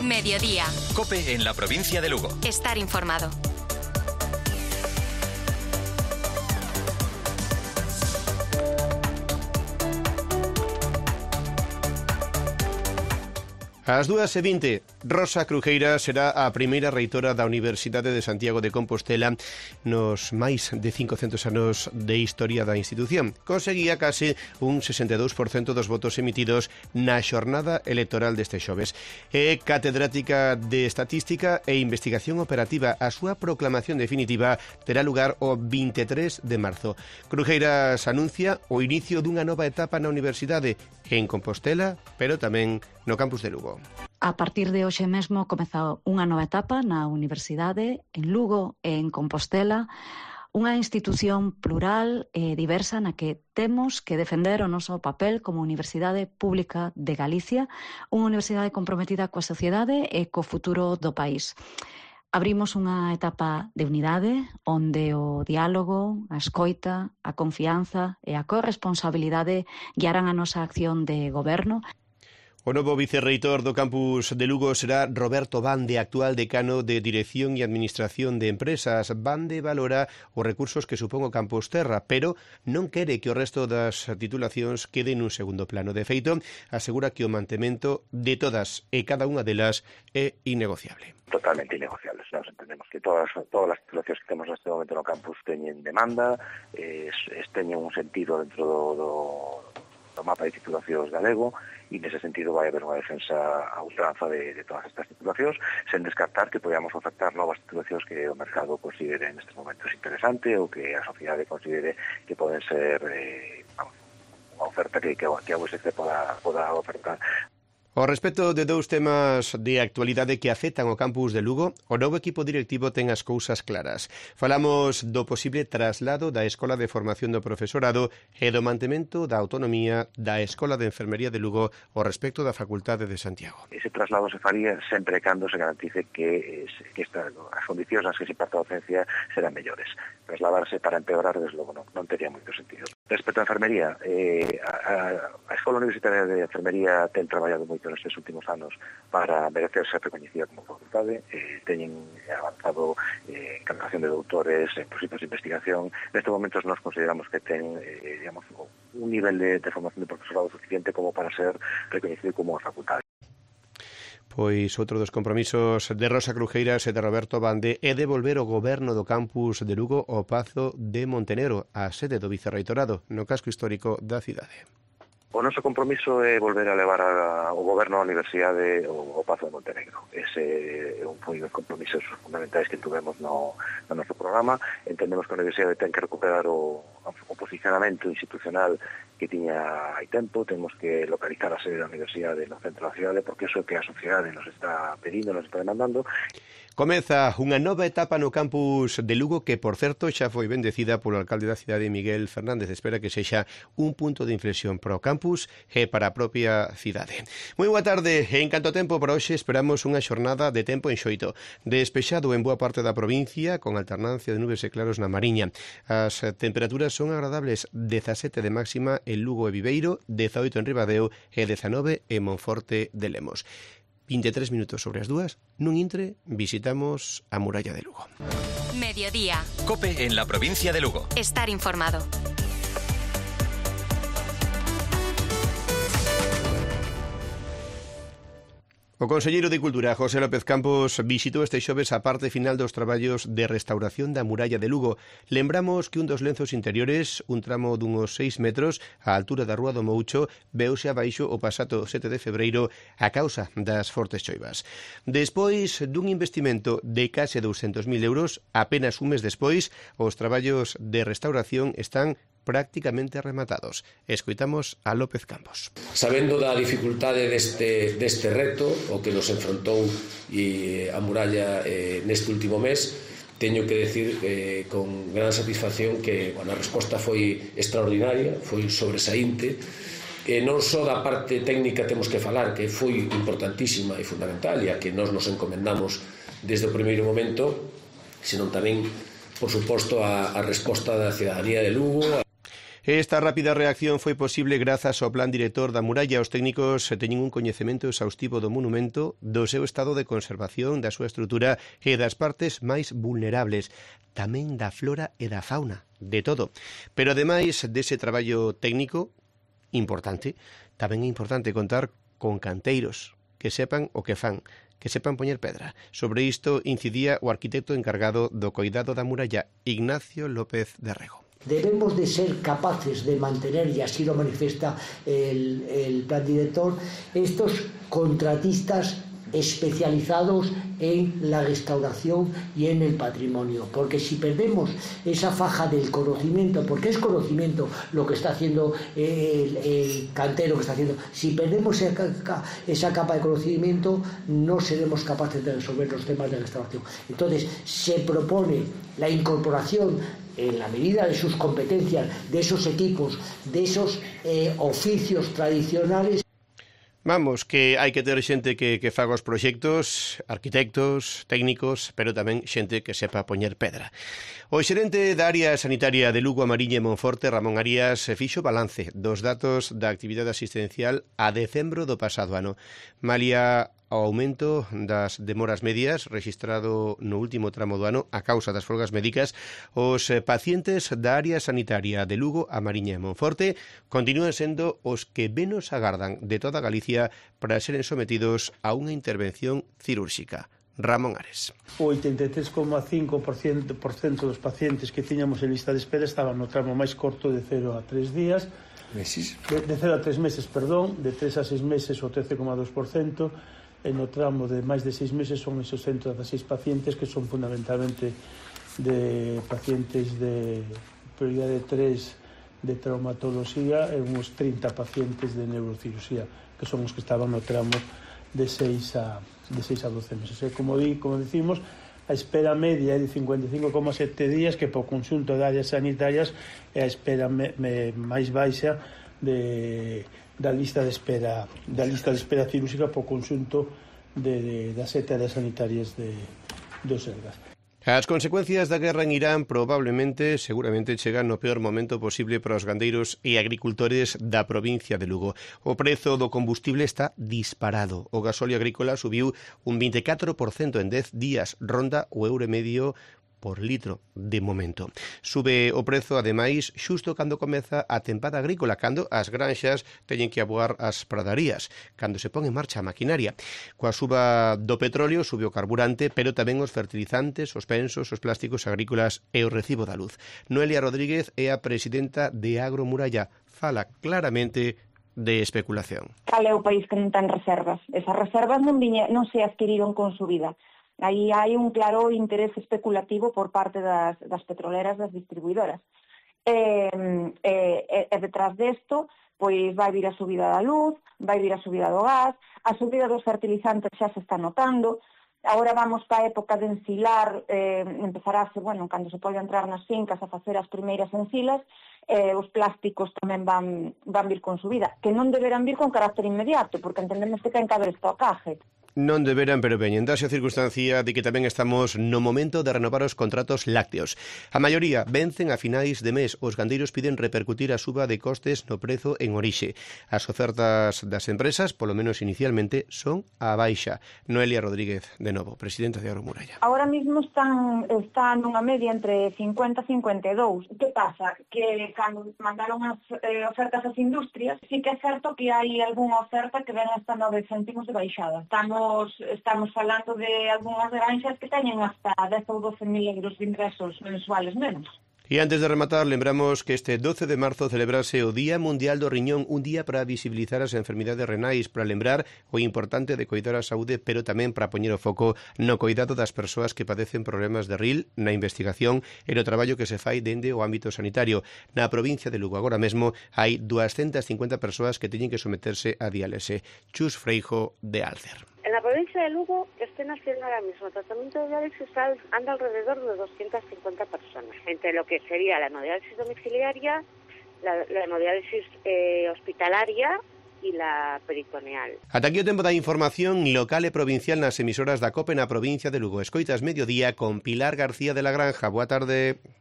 Mediodía. COPE en la provincia de Lugo. Estar informado. Ás 2:20, Rosa Crujeira será a primeira reitora da Universidade de Santiago de Compostela nos máis de 500 anos de historia da institución. Conseguía case un 62% dos votos emitidos na xornada electoral deste xoves. É catedrática de Estatística e Investigación Operativa. A súa proclamación definitiva terá lugar o 23 de marzo. Crujeiras anuncia o inicio dunha nova etapa na universidade en Compostela, pero tamén no campus de Lugo. A partir de hoxe mesmo comeza unha nova etapa na Universidade, en Lugo e en Compostela, unha institución plural e diversa na que temos que defender o noso papel como Universidade Pública de Galicia, unha universidade comprometida coa sociedade e co futuro do país. Abrimos unha etapa de unidade onde o diálogo, a escoita, a confianza e a corresponsabilidade guiarán a nosa acción de goberno. O novo vicerreitor do campus de Lugo será Roberto Bande, actual decano de Dirección e Administración de Empresas. Bande valora os recursos que supón o campus Terra, pero non quere que o resto das titulacións quede nun segundo plano. De feito, asegura que o mantemento de todas e cada unha delas é innegociable. Totalmente innegociables. Nos entendemos que todas as titulacións que temos neste momento no campus teñen demanda, teñen un sentido dentro do mapa de titulacións galego, e nese sentido vai haber unha defensa a ultranza de todas estas titulacións, sen descartar que podamos ofertar novas titulacións que o mercado considere nestes momentos interesante ou que a sociedade considere que poden ser unha oferta que a USC poda ofertar. Ao respecto de dous temas de actualidade que afectan o campus de Lugo, o novo equipo directivo ten as cousas claras. Falamos do posible traslado da Escola de Formación do Profesorado e do mantemento da autonomía da Escola de Enfermería de Lugo ao respecto da Facultade de Santiago. Ese traslado se faría sempre cando se garantice que as condicións nas que se imparte a docencia serán mellores. Trasladarse para empeorar, desde logo, non tería moito sentido. Respecto á enfermería, a Escola Universitaria de Enfermería ten traballado moito nestes últimos anos para merecer ser recoñecida como facultade, teñen avanzado en captación de doutores, en proxectos de investigación. Nestes momentos nos consideramos que ten un nivel de formación de profesorado suficiente como para ser recoñecido como facultade. Pois outro dos compromisos de Rosa Crujeira e de Roberto Bande é devolver o goberno do campus de Lugo ao Pazo de Montenegro, a sede do vicerreitorado, no casco histórico da cidade. O noso compromiso é volver a levar o goberno da universidade ao Pazo de Montenegro. Ese é un dos compromisos fundamentais que tuvemos no noso programa. Entendemos que a universidade ten que recuperar o posicionamento institucional que tiña hai tempo. Temos que localizar a sede da universidade no centro da cidade, porque iso é que a sociedade nos está pedindo, nos está demandando. Comeza unha nova etapa no campus de Lugo que, por certo, xa foi bendecida polo alcalde da cidade, Miguel Fernández. Espera que sexa un punto de inflexión para o campus e para a propia cidade. Moi boa tarde. En canto tempo para hoxe esperamos unha xornada de tempo enxoito. Despexado en boa parte da provincia, con alternancia de nubes e claros na Mariña. As temperaturas son agradables, 17 de máxima en Lugo e Viveiro, 18 en Ribadeo e 19 en Monforte de Lemos. 23 minutos sobre as 2, nun intre visitamos a muralla de Lugo. Mediodía. COPE en la provincia de Lugo. Estar informado. O conselleiro de Cultura, José López Campos, visitou este xoves a parte final dos traballos de restauración da muralla de Lugo. Lembramos que un dos lenzos interiores, un tramo dunhos 6 metros, á altura da Rúa do Moucho, veuse abaixo o pasado 7 de febreiro a causa das fortes choivas. Despois dun investimento de case 200.000 euros, apenas un mes despois, os traballos de restauración están prácticamente rematados. Escoitamos a López Campos. Sabendo da dificultade deste reto, o que nos enfrontou a muralla neste último mes, teño que decir con gran satisfacción que a resposta foi extraordinaria, foi sobresaínte, e non só da parte técnica temos que falar, que foi importantísima e fundamental, e a que nós nos encomendamos desde o primeiro momento, senón tamén, por suposto, a resposta da cidadanía de Lugo. Esta rápida reacción foi posible grazas ao plan director da muralla. Os técnicos teñen un coñecemento exhaustivo do monumento, do seu estado de conservación, da súa estrutura e das partes máis vulnerables, tamén da flora e da fauna, de todo. Pero ademais dese traballo técnico importante, tamén é importante contar con canteiros que sepan o que fan, que sepan poñer pedra. Sobre isto incidía o arquitecto encargado do coidado da muralla, Ignacio López de Rego. Debemos de ser capaces de mantener, y así lo manifiesta el plan director, estos contratistas especializados en la restauración y en el patrimonio, porque si perdemos esa faja del conocimiento, porque es conocimiento lo que está haciendo el cantero que está haciendo, si perdemos esa capa de conocimiento no seremos capaces de resolver los temas de restauración. Entonces se propone la incorporación en la medida de sus competencias, de esos equipos, de esos oficios tradicionales. Vamos, que hai que ter xente que faga os proxectos, arquitectos, técnicos, pero tamén xente que sepa poñer pedra. O xerente da área sanitaria de Lugo, Mariña e Monforte, Ramón Arias, fixo balance dos datos da actividade asistencial a decembro do pasado ano. Malia ao aumento das demoras medias rexistrado no último tramo do ano a causa das folgas médicas, os pacientes da área sanitaria de Lugo, a Mariña e Monforte continúan sendo os que menos agardan de toda Galicia para seren sometidos a unha intervención cirúrxica. Ramón Ares. O 83,5% dos pacientes que tiñamos en lista de espera estaban no tramo máis corto de 0 a 3 días, de 0 a 3 meses, perdón, de 3 a 6 meses o 13,2%, e no tramo de máis de 6 meses son esos 116 pacientes que son fundamentalmente de pacientes de prioridade 3 de traumatoloxía e uns 30 pacientes de neurocirurxía, que son os que estaban no tramo de 6 a 12 meses. E como decimos, a espera media é de 55,7 días, que por conxunto de áreas sanitarias é a espera máis baixa da lista de espera cirúrxica por conxunto das 7 áreas sanitarias do Sergas. As consecuencias da guerra en Irán seguramente chegan no peor momento posible para os gandeiros e agricultores da provincia de Lugo. O prezo do combustible está disparado. O gasóleo agrícola subiu un 24% en 10 días, ronda o €1,5 por litro de momento. Sube o prezo, ademais, xusto cando comeza a tempada agrícola, cando as granxas teñen que aboar as pradarías, cando se pon en marcha a maquinaria. Coa suba do petróleo sube o carburante, pero tamén os fertilizantes, os pensos, os plásticos agrícolas e o recibo da luz. Noelia Rodríguez é a presidenta de Agromuralla. Fala claramente de especulación. Cal é o país que non ten reservas? Esas reservas non se adquiriron con subida. Aí hai un claro interés especulativo por parte das petroleras, das distribuidoras. E detrás desto, pois vai vir a subida da luz, vai vir a subida do gas, a subida dos fertilizantes xa se está notando. Agora vamos para a época de ensilar, empezarase, cando se pode entrar nas fincas a facer as primeiras ensilas, os plásticos tamén van vir con subida, que non deberán vir con carácter inmediato, porque entendemos que ten que haber estocaje. Non deberán, pero veñen, dase a circunstancia de que tamén estamos no momento de renovar os contratos lácteos. A maioría vencen a finais de mes. Os gandeiros piden repercutir a suba de costes no prezo en orixe. As ofertas das empresas, polo menos inicialmente, son a baixa. Noelia Rodríguez, de novo, presidenta de Agromuralla. Agora mismo están nunha media entre 50 e 52. Que pasa? Que cando mandaron as ofertas ás industrias, sí que é certo que hai algunha oferta que ven hasta 9 céntimos de baixada. Estamos falando de algunhas granxas que teñen hasta 10 ou 12.000 euros de ingresos mensuales menos. E antes de rematar, lembramos que este 12 de marzo celebrase o Día Mundial do Riñón, un día para visibilizar as enfermidades renais, para lembrar o importante de coidar a saúde, pero tamén para poñer o foco no coidado das persoas que padecen problemas de RIL, na investigación e no traballo que se fai dende o ámbito sanitario. Na provincia de Lugo agora mesmo hai 250 persoas que teñen que someterse a diálise. Chus Freijo, de Alcer. En la provincia de Lugo estén haciendo ahora mismo tratamiento de diálisis anda alrededor de 250 personas, entre lo que sería la hemodiálisis domiciliaria, la hemodiálisis hospitalaria e la peritoneal. Ata aquí o tempo da información local e provincial nas emisoras da COPE na provincia de Lugo. Escoitas Mediodía con Pilar García de la Granja. Boa tarde.